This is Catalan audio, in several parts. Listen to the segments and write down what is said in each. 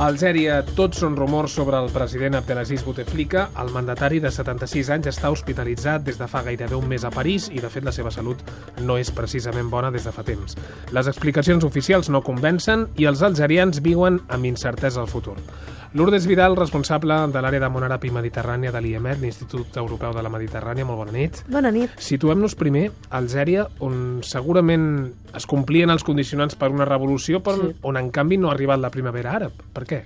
A Algèria, tots són rumors sobre el president Abdelaziz Bouteflika. El mandatari de 76 anys està hospitalitzat des de fa gairebé un mes a París i, de fet, la seva salut no és precisament bona des de fa temps. Les explicacions oficials no convencen i els algerians viuen amb incertesa al futur. Lourdes Vidal, responsable de l'àrea de Món Àrab i Mediterrània de l'IEMED, l'Institut Europeu de la Mediterrània. Molt bona nit. Bona nit. Situem-nos primer a Algèria, on segurament es complien els condicionants per una revolució, però on en canvi no ha arribat la primavera àrab. Per què?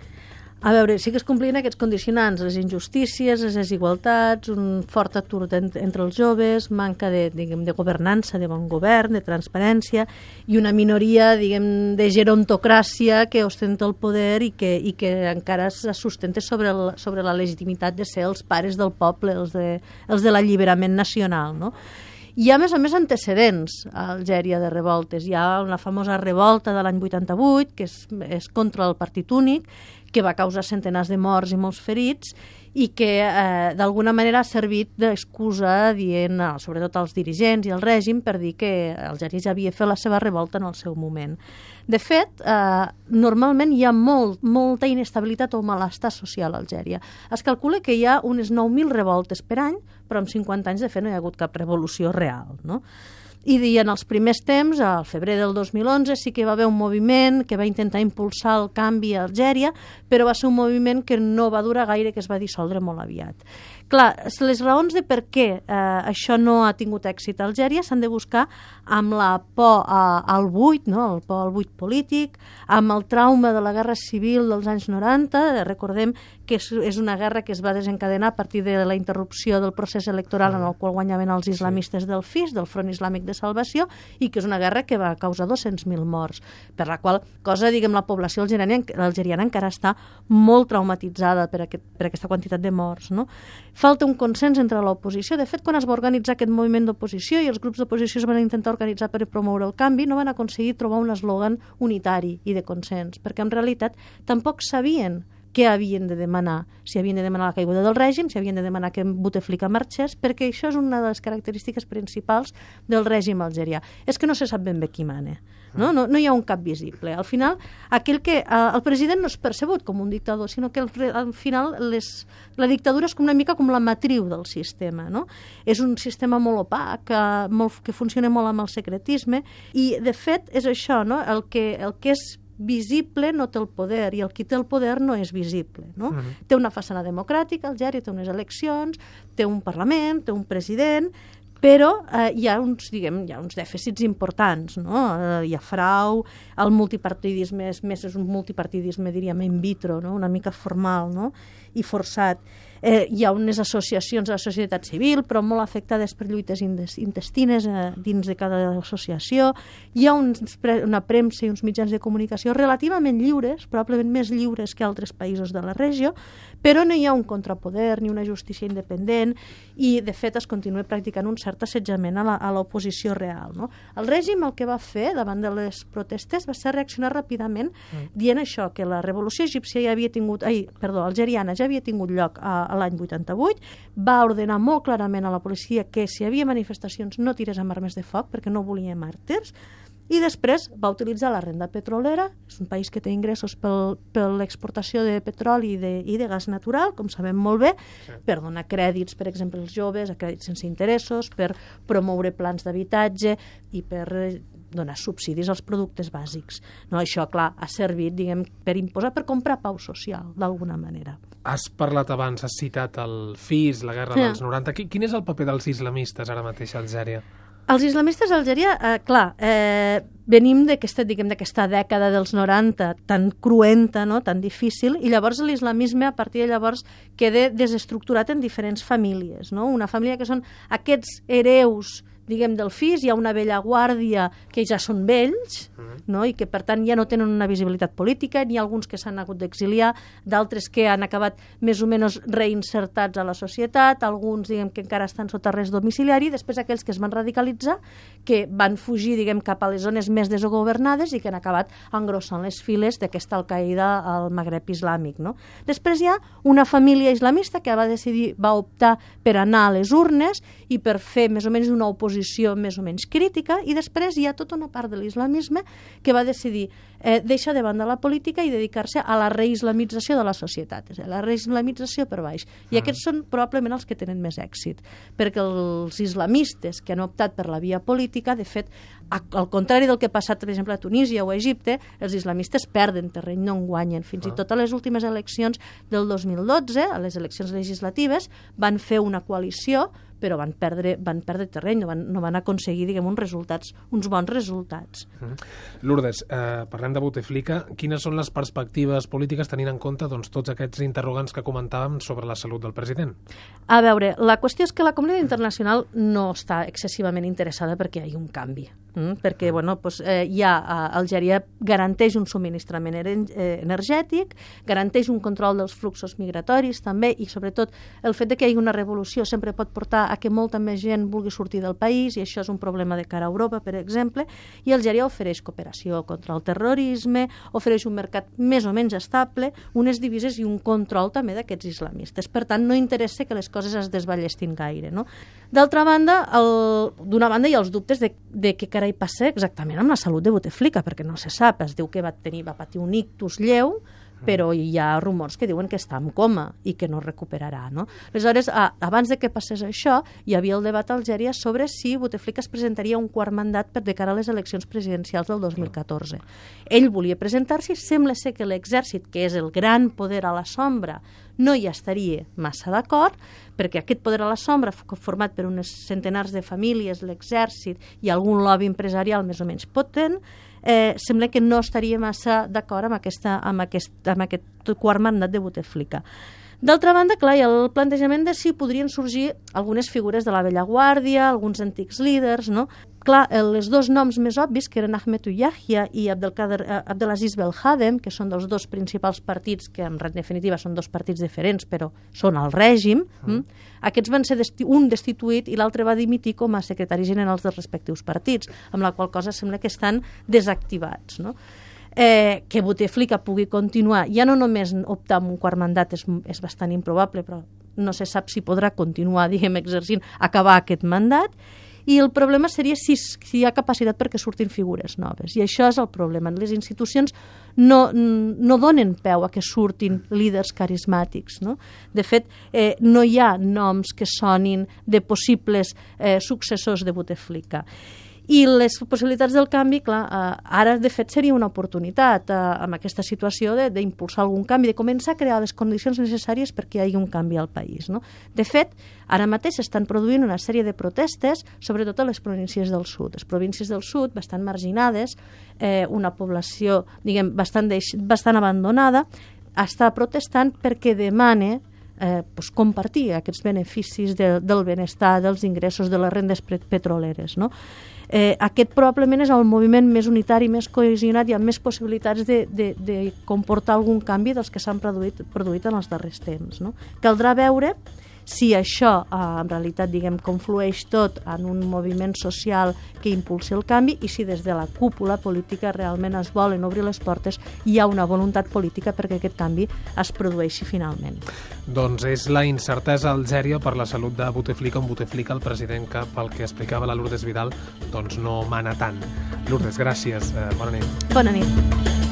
A veure, sí que es complien aquests condicionants, les injustícies, les desigualtats, un fort atur entre els joves, manca de governança, de bon govern, de transparència, i una minoria, de gerontocràcia que ostenta el poder i que encara se sustenta sobre la legitimitat de ser els pares del poble, els de l'alliberament nacional, no? Hi ha, a més antecedents a Algèria de revoltes. Hi ha una famosa revolta de l'any 88, que és contra el partit únic, que va causar centenars de morts i molts ferits i que d'alguna manera ha servit d'excusa dient, sobretot als dirigents i al règim, per dir que Algèria ja havia fet la seva revolta en el seu moment. De fet, normalment hi ha molta inestabilitat o malestar social a Algèria. Es calcula que hi ha unes 9.000 revoltes per any, però en 50 anys, de fet, no hi ha hagut cap revolució real, no? I en els primers temps, al febrer del 2011, sí que hi va haver un moviment que va intentar impulsar el canvi a Algèria, però va ser un moviment que no va durar gaire, que es va dissoldre molt aviat. Clar, les raons de per què això no ha tingut èxit a Algèria s'han de buscar amb la por al buit, no? El por al buit polític, amb el trauma de la guerra civil dels anys 90. Recordem que és una guerra que es va desencadenar a partir de la interrupció del procés electoral en el qual guanyaven els islamistes del FIS, del Front Islàmic de Salvació, i que és una guerra que va causar 200.000 morts, per la qual cosa, la població algeriana encara està molt traumatitzada per aquesta quantitat de morts, no? Falta un consens entre l'oposició. De fet, quan es va organitzar aquest moviment d'oposició i els grups d'oposició es van intentar organitzar per promoure el canvi, no van aconseguir trobar un eslògan unitari i de consens, perquè en realitat tampoc sabien què havien de demanar, si havien de demanar la caiguda del règim, si havien de demanar que Bouteflika marxés, perquè això és una de les característiques principals del règim algerià. És que no se sap ben bé qui mana. No hi ha un cap visible. Al final, el president no és percebut com un dictador, sinó que al final la dictadura és una mica com la matriu del sistema, no? És un sistema molt opac, que funciona molt amb el secretisme, i de fet és això, no? El que és visible no té el poder i el qui té el poder no és visible, no? Té una façana democràtica, Algèria té unes eleccions, té un parlament, té un president, però hi ha uns dèficits importants, no? Hi ha frau, el multipartidisme és un multipartidisme, diríem, in vitro, no? Una mica formal, no? I forçat. Hi ha unes associacions de la societat civil, però molt afectades per lluites intestines dins de cada associació. Hi ha una premsa i uns mitjans de comunicació relativament lliures, probablement més lliures que altres països de la regió, però no hi ha un contrapoder ni una justícia independent i, de fet, es continua practicant un cert assetjament a l'oposició real, no? El règim el que va fer davant de les protestes va ser reaccionar ràpidament dient això, que la revolució algeriana ja havia tingut lloc a l'any 88, va ordenar molt clarament a la policia que si hi havia manifestacions no tirés amb armes de foc perquè no volia màrtirs, i després va utilitzar la renda petrolera. És un país que té ingressos per l'exportació de petroli i de gas natural, com sabem molt bé, per donar crèdits, per exemple, als joves, a crèdits sense interessos, per promoure plans d'habitatge i per donar subsidis als productes bàsics. No, això, clar, ha servit, per imposar, per comprar pau social, d'alguna manera. Has parlat abans, has citat el FIS, la guerra dels 90. Quin és el paper dels islamistes ara mateix a Algèria? Els islamistes a Algèria, venim d'aquesta dècada dels 90 tan cruenta, no? Tan difícil, i llavors l'islamisme a partir de llavors queda desestructurat en diferents famílies, no? Una família que són aquests hereus del FIS, hi ha una vella guàrdia que ja són vells, no? I que per tant ja no tenen una visibilitat política, n'hi ha alguns que s'han hagut d'exiliar, d'altres que han acabat més o menys reinsertats a la societat, alguns que encara estan sota arrest domiciliari, després aquells que es van radicalitzar, que van fugir cap a les zones més desgovernades i que han acabat engrossant les files d'aquesta Al-Qaeda al Magreb islàmic, no? Després hi ha una família islamista que va optar per anar a les urnes i per fer més o menys una oposició posició més o menys crítica, i després hi ha tota una part de l'islamisme que va decidir deixar de banda la política i dedicar-se a la reislamització de la societat, és a dir, la reislamització per baix. I aquests són probablement els que tenen més èxit, perquè els islamistes que han optat per la via política, de fet, al contrari del que ha passat, per exemple, a Tunísia o a Egipte, els islamistes perden terreny, no en guanyen. Fins i tot a les últimes eleccions del 2012, a les eleccions legislatives, van fer una coalició, però van perdre terreny, no van aconseguir, diguem, uns bons resultats. Lourdes, parlem de Bouteflika. Quines són les perspectives polítiques tenint en compte tots aquests interrogants que comentàvem sobre la salut del president? A veure, la qüestió és que la comunitat internacional no està excessivament interessada perquè hi hagi un canvi. Perquè Algèria garanteix un subministrament energètic, garanteix un control dels fluxos migratoris també, i sobretot el fet que hi hagi una revolució sempre pot portar a que molta més gent vulgui sortir del país, i això és un problema de cara a Europa, per exemple, i Algèria ofereix cooperació contra el terrorisme, ofereix un mercat més o menys estable, unes divises i un control també d'aquests islamistes. Per tant, no interessa que les coses es desballestin gaire, no? D'altra banda, d'una banda hi ha els dubtes de què carai passa exactament amb la salut de Bouteflika, perquè no se sap, es diu que va patir un ictus lleu, però hi ha rumors que diuen que està en coma i que no recuperarà, no? Aleshores, abans de que passés això, hi havia el debat a Algèria sobre si Bouteflika es presentaria un quart mandat de cara a les eleccions presidencials del 2014. Ell volia presentar-s'hi, sembla ser que l'exèrcit, que és el gran poder a la sombra, no hi estaria massa d'acord, perquè aquest poder a la sombra, format per unes centenars de famílies, l'exèrcit i algun lobby empresarial més o menys potent, sembla que no estaria massa d'acord amb aquest quart mandat de Bouteflika. D'altra banda, clar, hi ha el plantejament de si podrien sorgir algunes figures de la vella guàrdia, alguns antics líders, no? Clar, els dos noms més obvis, que eren Ahmed Yahya i Abdelaziz Belhadem, que són dels dos principals partits, que en definitiva són dos partits diferents, però són al règim, aquests van ser un destituït i l'altre va dimitir com a secretaris generals dels respectius partits, amb la qual cosa sembla que estan desactivats, no? Que Bouteflika pugui continuar, ja no només optar amb un quart mandat és bastant improbable, però no se sap si podrà continuar, diguem, exercint, acabar aquest mandat, i el problema seria si hi ha capacitat perquè surtin figures noves, i això és el problema. Les institucions no donen peu a que surtin líders carismàtics, no? De fet, no hi ha noms que sonin de possibles successors de Bouteflika. I les possibilitats del canvi, clar, ara de fet seria una oportunitat amb aquesta situació d'impulsar algun canvi, de començar a crear les condicions necessàries perquè hi hagi un canvi al país, no? De fet, ara mateix s'estan produint una sèrie de protestes, sobretot a les províncies del sud. Les províncies del sud, bastant marginades, una població, diguem, bastant abandonada, està protestant perquè demana compartir aquests beneficis del benestar, dels ingressos, de les rendes petroleres, no? Aquest probablement és el moviment més unitari, més cohesionat i amb més possibilitats de comportar algun canvi dels que s'han produït en els darrers temps, no? Caldrà veure si això en realitat, diguem, conflueix tot en un moviment social que impulsi el canvi, i si des de la cúpula política realment es volen obrir les portes, hi ha una voluntat política perquè aquest canvi es produeixi finalment. Doncs és la incertesa a Algèria per la salut de Bouteflika, on Bouteflika, el president, que pel que explicava la Lourdes Vidal, doncs no mana tant. Lourdes, gràcies. Bona nit. Bona nit.